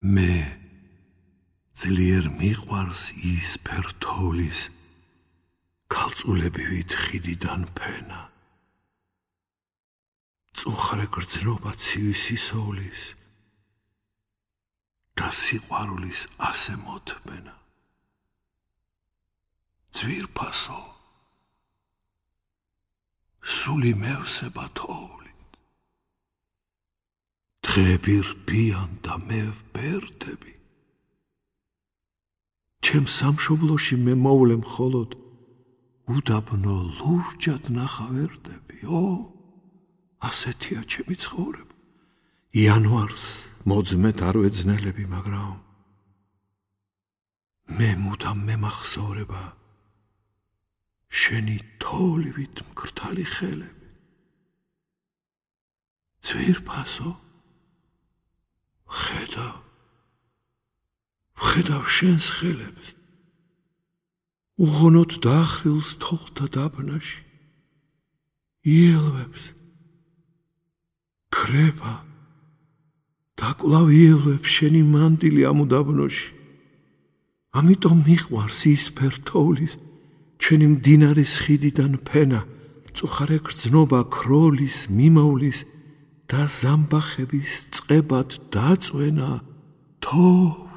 მე ძლიერ მიყვარს ის ფერთოვლის ქალწულებივით ხიდიდან ფენა. წუხრე გრძნობა ცივი სისოვლის და სიყვარულის ასე მოთმენა. ძვირფასო სული მევსება თოვლით, დღეები რბიან და მე ვბერდები. ჩემ სამშობლოში მე მოვლე მხოლოდ უდაბნო ლურჯად ნახავერდები. ასეთია ჩემი ცხოვრება. იანვარს მოძმეთ არ ვეძნელები, მაგრამ მე მუდამ მემახსოვრება შენი თოვლივით მკრთალი ხელები. ძვირფასო, ვხედავ შენს ხელებს, უღონოდ დახრილს თოვლთა დაბნაში, იელვებს, ქრება და კვლავ იელვებს შენი მანტილი ამ უდაბნოში. ამიტომ მიყვარს ის ფერთოვლის ჩვენი მდინარის ხიდიდან ფენა, მწუხარე გრძნობა ქროლის, მიმოვლის და ზამბახების წყებად დაწვენა თოვლ.